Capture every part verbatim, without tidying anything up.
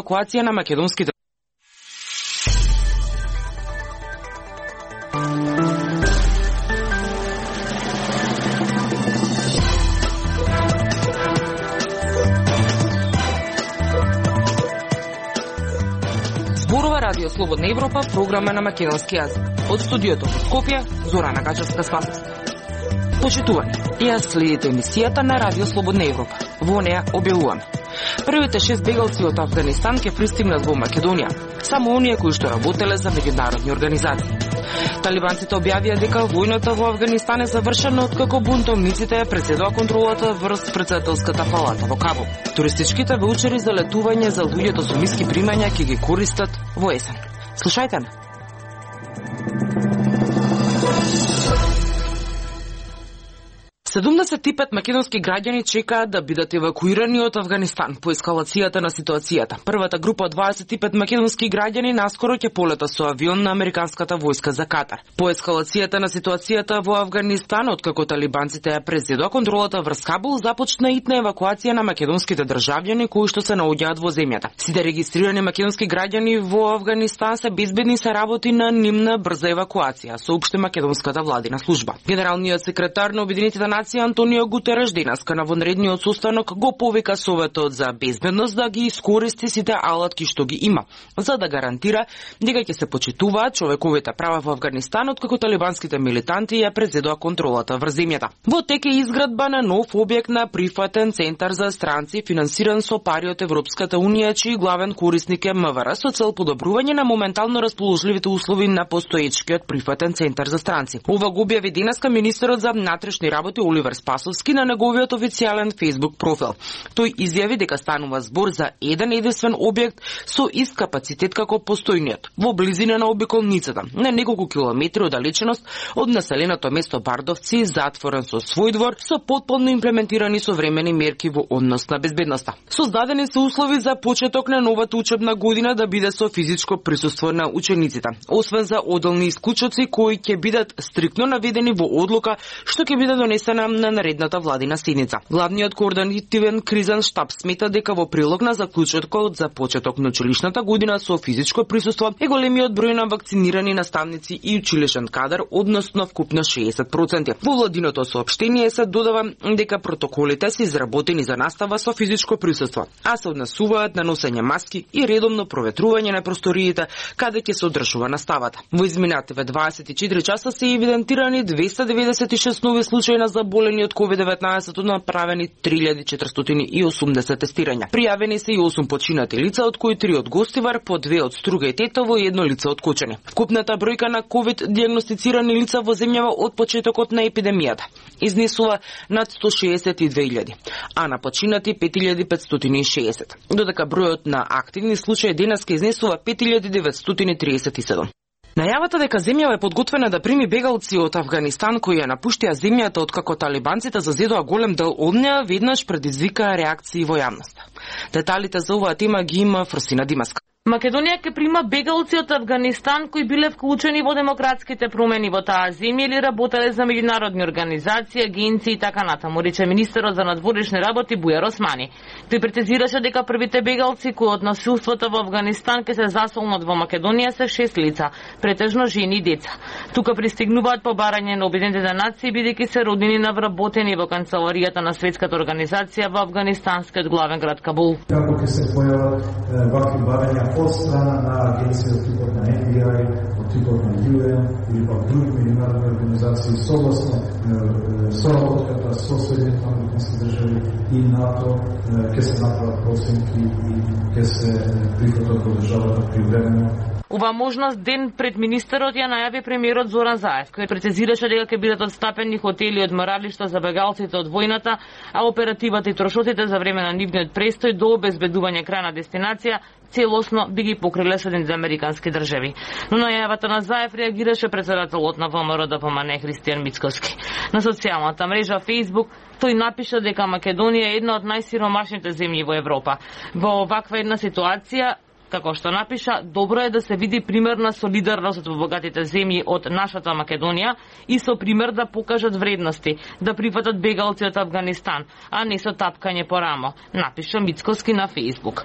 евакуација на македонските Радио Слободна Европа, програма на македонски јазик. Од студиото во Скопје, Зорана Гачевска-Спасовска. Почитувани, ја следите емисијата на Радио Слободна Европа. Во неа објавуваме. Првите шест бегалци од Афганистан ќе пристигнат во Македонија, само оние кои што работеле за меѓународни организации. Талибанците објавија дека војната во Афганистан е завршена откако бунтовниците ја преседоа контролата врз претседателската палата во Кабул. Туристичките ваучери за летување за луѓето со ниски примања ќе ги користат во есен. Слушајте ме. седумдесет и пет македонски граѓани чекаат да бидат евакуирани од Афганистан по ескалацијата на ситуацијата. Првата група од дваесет и пет македонски граѓани наскоро ќе полета со авион на американската војска за Катар. По ескалацијата на ситуацијата во Афганистан, откако талибанците ја презедоа контролата врз Кабул, започна итна евакуација на македонските државјани кои што се наоѓаат во земјата. Сите регистрирани македонски граѓани во Афганистан се безбедни, се работи на нивна брза евакуација, соопшти македонската владина служба. Генералниот секретар на Обединетите нации Антонио Гутереш денеска на вонредниот состанок го повика Советот за безбедност да ги искористи сите алатки што ги има, за да гарантира дека ќе се почитуваат човековите права во Афганистан откако талибанските милитанти ја презедоа контролата врз земјата. Во тек е изградба на нов објект на прифатен центар за странци финансиран со пари од Европската унија, чиј главен корисник е МВР, со цел подобрување на моментално расположливите услови на постоечкиот прифатен центар за странци. Ова го објави денеска министерот за внатрешни работи Оливер Спасовски на неговиот официјален Facebook профил. Тој изјави дека станува збор за еден единствен објект со ист капацитет како постојниот, во близина на обиколницата, на неколку километри оддалеченост од населеното место Бардовци, затворен со свој двор, со потполно имплементирани современи мерки во однос на безбедноста. Создадени се услови за почеток на новата учебна година да биде со физичко присуство на учениците, освен за одделни исклучоци кои ќе бидат стриктно наведени во одлука што ќе биде донесена на наредната владина седница. Главниот координативен кризен штаб смета дека во прилог на заклучокот за почеток на училишната година со физичко присуство е големиот број на вакцинирани наставници и училишен кадар, односно вкупно шеесет проценти. Во владиното соопштение се додава дека протоколите се изработени за настава со физичко присуство, а се однесуваат на носење маски и редовно проветрување на просториите каде ќе се одржува наставата. Во изминативе дваесет и четири часа се евидентирани двеста деветдесет и шест нови случаи на заболени од ковид деветнаесет, направени три илјади четиристотини и осумдесет тестирања. Пријавени се и осум починати лица, од кои три од Гостивар, по две од Струга и Тетово и едно лице од Кочани. Вкупната бројка на ковид дијагностицирани лица во земјава од почетокот на епидемијата изнесува над сто шеесет и две илјади, а на починати пет илјади петстотини и шеесет. Додека бројот на активни случаи денеска изнесува пет илјади деветстотини триесет и седум. Најавата дека земјава е подготвена да прими бегалци од Афганистан кои ја напуштија земјата откако талибанците зазедоа голем дел од неа, веднаш предизвика реакции во јавноста. Деталите за оваа тема ги има Фрсина Димаска. Македонија ќе прима бегалци од Афганистан кои биле вклучени во демократските промени во таа земја или работеле за меѓународни организации, агенции и така натаму, рече министерот за надворешни работи Бујар Османи. Тој претезираше дека првите бегалци кои од насилството во Афганистан ќе се засолнат во Македонија се шест лица, претежно жени и деца. Тука пристигнуваат по барање на Обединетите нации бидејќи се роднини на вработени во канцеларијата на Светската организација во афганистанскиот главен град Кабул. Како ќе се појават вакви барања од страна на агенција од типот на Ен Би Ај, од типот на Ю Ен или пак други меѓународни организации согласно соработката со Соединетите американски држави и НАТО ќе се направат проценки и ќе се прифатат во државата привремено. Ова можност ден пред министерот ја најави премиерот Зоран Заев, кој прецизираше дека ќе бидат отстапени хотели и одморалишта за бегалците од војната, а оперативата и трошоците за време на нивниот престој до обезбедување крајна дестинација целосно би ги покриле Соединетите американски држави. Но најавата на Заев реагираше председателот на Во Ем Р Д П М Н Христијан Мицкоски. На социјалната мрежа Facebook тој напиша дека Македонија е една од најсиромашните земји во Европа. Во оваква една ситуација Како што напиша, добро е да се види примерна солидарност во богатите земји од нашата Македонија и со пример да покажат вредности, да прифатат бегалци од Авганистан, а не со тапкање по рамо, напиша Мицкоски на Фејсбук.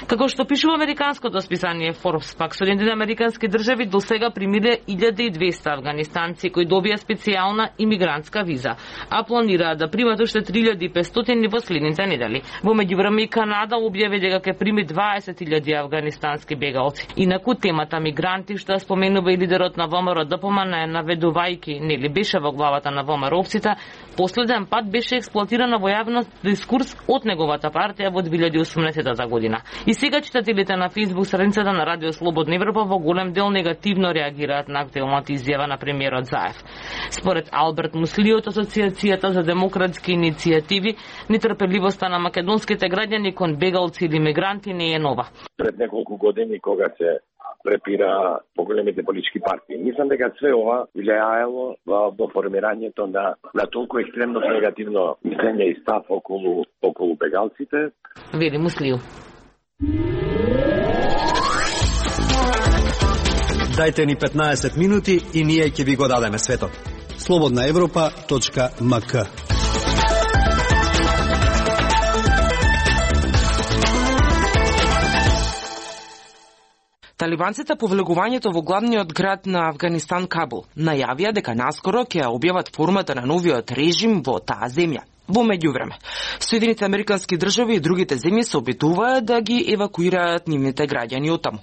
Како што пишува американското списание Forbes, пак Соединетите американски држави до сега примиле илјада и двесте афганистанци кои добија специјална имигрантска виза, а планираат да примат уште три илјади и петстотини во следните недели. Во меѓувреме и Канада објави дека ќе прими дваесет илјади афганистански бегалци. Инаку темата мигранти, што споменува и лидерот на ВМРО ДПМН, наведувајќи, нели беше во главата на ВМРО-овците, последен пат беше експлоатирана во јавен дискурс од неговата партија во две илјади и осумнаесета година. И сега читателите на Фејсбук страницата на Радио Слободна Европа во голем дел негативно реагираат на актуелната изјава на премиерот Заев. Според Алберт Мусли од Асоциацијата за демократски иницијативи, нетрпеливоста на македонските граѓани кон бегалци или мигранти не е нова. Пред неколку години кога се препира по големите политички партии. Мислам дека све ова влијаело во, во формирањето на, на толку екстремно негативно мислење и став околу, околу бегалците. Вели Муслију. Дајте ни петнаесет минути и ние ќе ви го дадеме светот. слободна европа точка ем ка. Талибанците по влегувањето во главниот град на Авганистан Кабул најавија дека наскоро ќе објават формата на новиот режим во таа земја. Во меѓувреме, Соединетите американски држави и другите земји се обидуваат да ги евакуираат нивните граѓани од таму.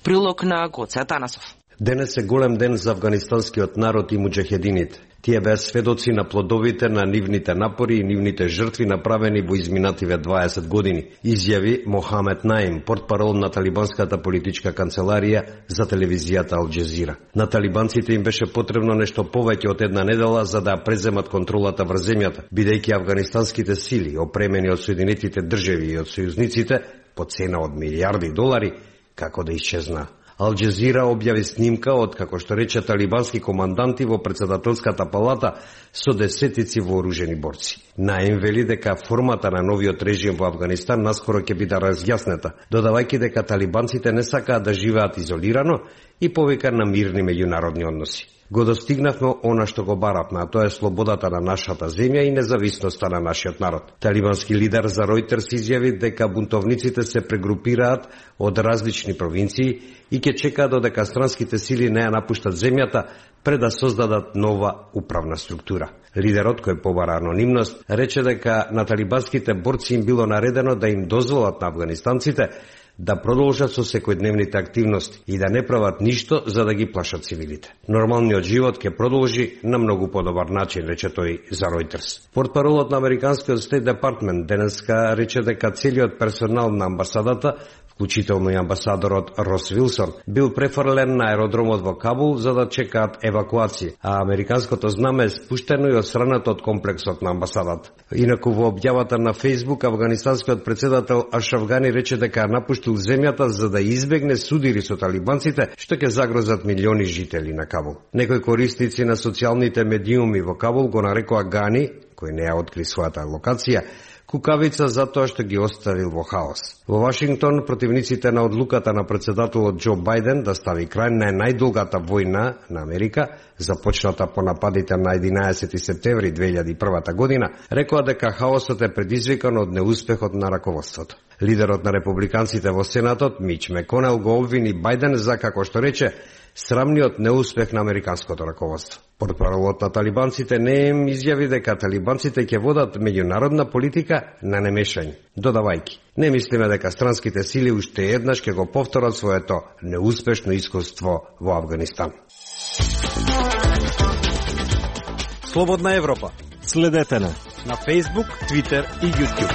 Прилог на Гоце Атанасов. Денес е голем ден за афганистанскиот народ и муџахедините. Тие беа сведоци на плодовите на нивните напори и нивните жртви направени во изминативе дваесет години, изјави Мохамед Наим, портпарол на талибанската политичка канцеларија за телевизијата Ал Џезира. На талибанците им беше потребно нешто повеќе од една недела за да преземат контролата врз земјата, бидејќи афганистанските сили, опремени од Соединетите држави и од сојузниците, по цена од милијарди долари, како да исчезна. Ал Џезира објави снимка од, како што рече, талибански команданти во председателската палата со десетици вооружени борци. Наим вели дека формата на новиот режим во Авганистан наскоро ќе биде разјаснета, додавајќи дека талибанците не сакаат да живеат изолирано и повика на мирни меѓународни односи. Го достигнавме она што го баравме, а тоа е слободата на нашата земја и независноста на нашиот народ. Талибански лидер за Ројтерс изјави дека бунтовниците се прегрупираат од различни провинции и ќе чекаат додека странските сили не ја напуштат земјата пред да создадат нова управна структура. Лидерот, кој побара анонимност, рече дека на талибанските борци им било наредено да им дозволат на афганистанците да продолжат со секојдневните активности и да не прават ништо за да ги плашат цивилите. Нормалниот живот ќе продолжи на многу подобар начин, рече тој за Ројтерс. Портпаролот на Американскиот Стейт Департмент денеска рече дека целиот персонал на амбасадата, вклучително и амбасадорот Рос Вилсон, бил префрлен на аеродромот во Кабул за да чекаат евакуација, а американското знаме е спуштено и отстранато од комплексот на амбасадата. Инаку во објавата на Фејсбук, афганистанскиот председател Ашраф Гани рече дека напуштил земјата за да избегне судири со талибанците, што ќе загрозат милиони жители на Кабул. Некои корисници на социјалните медиуми во Кабул го нарекоа Гани, кој не ја откри својата локација, кукавица за тоа што ги оставил во хаос. Во Вашингтон, противниците на одлуката на председателот Џо Бајден да стави крај на најдолгата војна на Америка, започната по нападите на единаесети септември две илјади и прва година, рекоа дека хаосот е предизвикан од неуспехот на раководството. Лидерот на републиканците во Сенатот, Мич Меконел, го обвини Бајден за, како што рече, срамниот неуспех на американското раководство. Портпаролот на талибанците не им изјави дека талибанците ќе водат меѓународна политика на немешање, додавајќи: не мислиме дека странските сили уште еднаш ќе го повторат своето неуспешно искуство во Авганистан. Слободна Европа. Следете на на Facebook, Twitter и YouTube.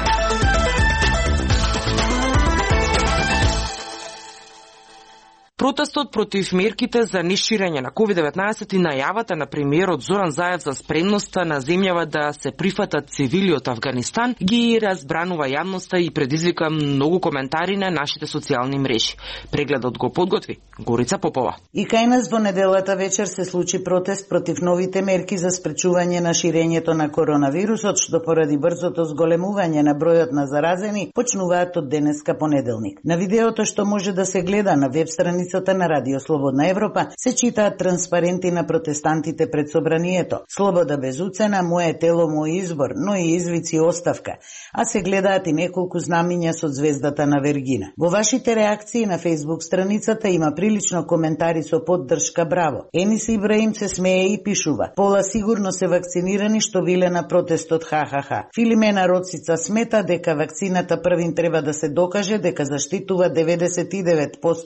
Протестот против мерките за неширење на ковид деветнаесет и најавата на премиерот Зоран Заев за спремноста на земјава да се прифатат цивили од Авганистан ги разбранува јавноста и предизвика многу коментари на нашите социјални мрежи. Прегледот го подготви Горица Попова. И кај нас во неделата вечер се случи протест против новите мерки за спречување на ширењето на коронавирусот, што поради брзото зголемување на бројот на заразени почнуваат од денеска понеделник. На видеото што може да се гледа на веб страницата на Радио Слободна Европа се читаат транспаренти на протестантите пред собранието. Слобода без уцена, моје тело, мој избор, но и извици оставка. А се гледаат и неколку знамиња со звездата на Вергина. Во вашите реакции на Facebook страницата има прилично коментари со поддршка браво. Енис Ибраим се смее и пишува: пола сигурно се вакцинирани што биле на протестот ха-ха-ха. Филимена Роцица смета дека вакцината првин треба да се докаже дека заштитува деветдесет и девет проценти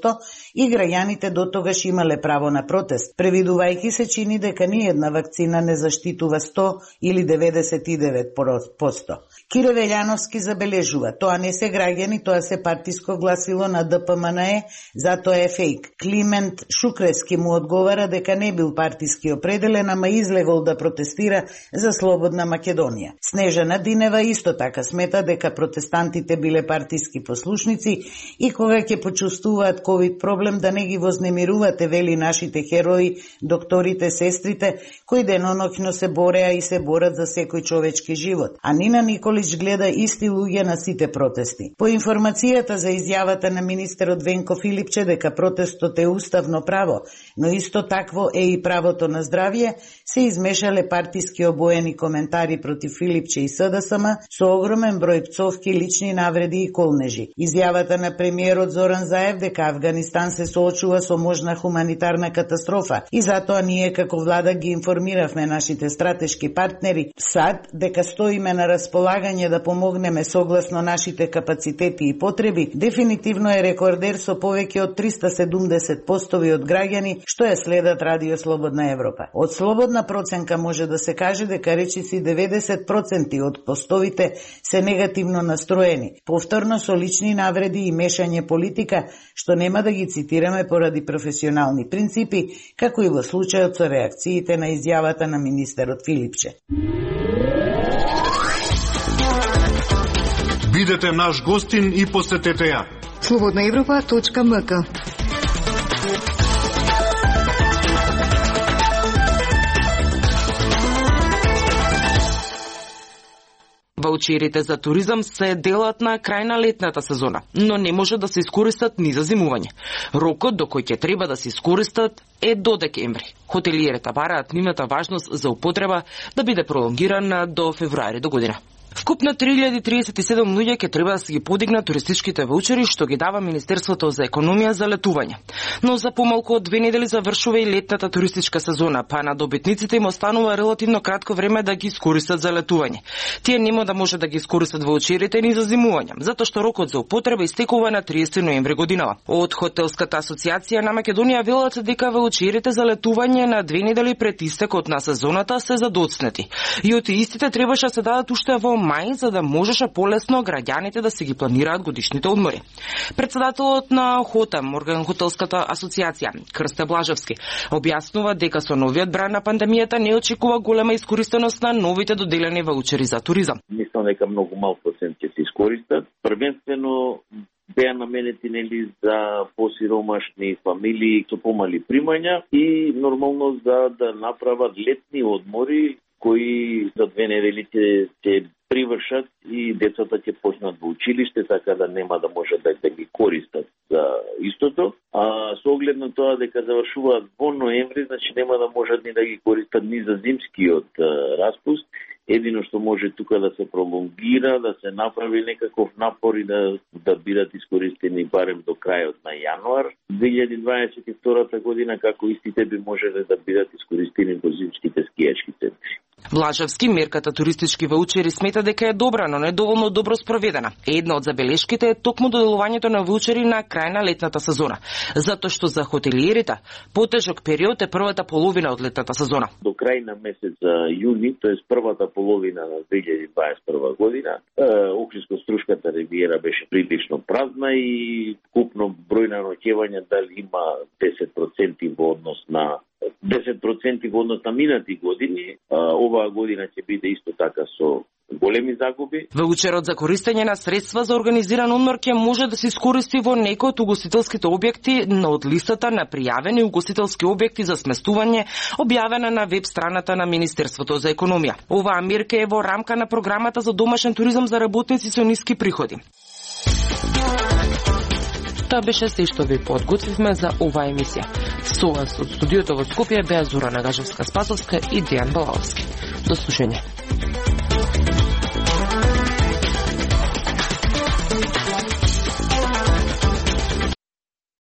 и граѓаните до тогаш имале право на протест. Превидувајќи се чини дека ни една вакцина не заштитува сто или деветдесет и девет проценти. Кире Велјановски забележува: тоа не се граѓани, тоа се партиско гласило на Д П М Н Е, затоа е фейк. Климент Шукрески му одговара дека не бил партиски определен, ама излегол да протестира за слободна Македонија. Снежана Динева исто така смета дека протестантите биле партиски послушници и кога ќе почувствуваат ковид проблем да не ги вознемирувате, вели нашите херои, докторите, сестрите, кои деноноќно се бореа и се борат за секој човечки живот. А Нина Николич гледа исти луѓе на сите протести. По информацијата за изјавата на министерот Венко Филипче дека протестот е уставно право, но исто такво е и правото на здравје, се измешале партиски обоени коментари против Филипче и С Д С М со огромен број пцовки, лични навреди и колнежи. Изјавата на премиерот Зоран Заев дека Авганистан се соочува со можна хуманитарна катастрофа и затоа ние како влада ги информиравме нашите стратешки партнери САД дека стоиме на располагање да помогнеме согласно нашите капацитети и потреби, дефинитивно е рекордер со повеќе од триста седумдесет постови од граѓани што ја следат Радио Слободна Европа. Од слободна проценка може да се каже дека речиси деветдесет проценти од постовите се негативно настроени, повторно со лични навреди и мешање политика, што нема да ги цитираме поради професионални принципи, како и во случајот со реакциите на изјавата на министерот Филипче. Бидете наш гостин и посетете ја. слободна европа точка м к. Ваучерите за туризам се делат на крај на летната сезона, но не може да се искористат ни за зимување. Рокот до кој ќе треба да се искористат е до декември. Хотелиерите бараат нивната важност за употреба да биде пролонгирана до февруари до година. Вкупно три илјади триесет и седум луѓе ќе треба да се ги подигнат туристичките ваучери што ги дава Министерството за економија за летување. Но за помалку од две недели завршува и летната туристичка сезона, па на добитниците им останува релативно кратко време да ги искористат за летување. Тие нема да може да ги искористат ваучерите ни за зимување, затоа што рокот за употреба истекува на триесети ноември годинава. Од Хотелската асоциација на Македонија велат дека ваучерите за летување на две недели пред истекот на сезоната се задоцнети. И од истите требаше да се дадат уште во мај, за да можеше полесно граѓаните да се ги планираат годишните одмори. Председателот на ХОТАМ, орган Хотелската асоциација, Крсте Блажевски, објаснува дека со новиот брај на пандемијата не очекува голема искористеност на новите доделени ваучери за туризам. Мислам дека многу мал процент ќе се искористат. Првенствено беа наменети нели за посиромашни фамилии со помали примања и нормално за да направат летни одмори кои за две недели ќе се привршат и децата ќе почнат во училиште, така да нема да можат да, да ги користат за истото. А со оглед на тоа дека завршуваат во ноември, значи нема да можат ни да ги користат ни за зимскиот а, распуст. Едино што може тука да се пролонгира, да се направи некаков напор и да, да бидат искористени барем до крајот на јануар две илјади дваесет и втора година, како истите би можеле да бидат искористени во зимските скијачки центри. Блажевски мерката туристички ваучери смета дека е добра, но не доволно добро спроведена. Една од забелешките е токму доделувањето на ваучери на крај на летната сезона, затоа што за хотелиерите потежок период е првата половина од летната сезона. До крај на месец јуни, тоест првата половина на две илјади дваесет и прва година, Охридско-Струшката ривиера беше прилично празна и купно број број на ноќевања дали има десет проценти во однос на десет проценти во однос на минати години, оваа година ќе биде исто така со големи загуби. Ваучерот за користење на средства за организиран одмор ќе може да се искористи во некој од угостителските објекти од листата на пријавени угостителски објекти за сместување, објавена на веб страната на Министерството за економија. Оваа мерка е во рамка на програмата за домашен туризам за работници со ниски приходи. Тоа беше се што ви подготвивме за оваа емисија. Со вас од студиото во Скопје беа Зора Нагажевска-Спасовска и Дејан Балалски. До слушање.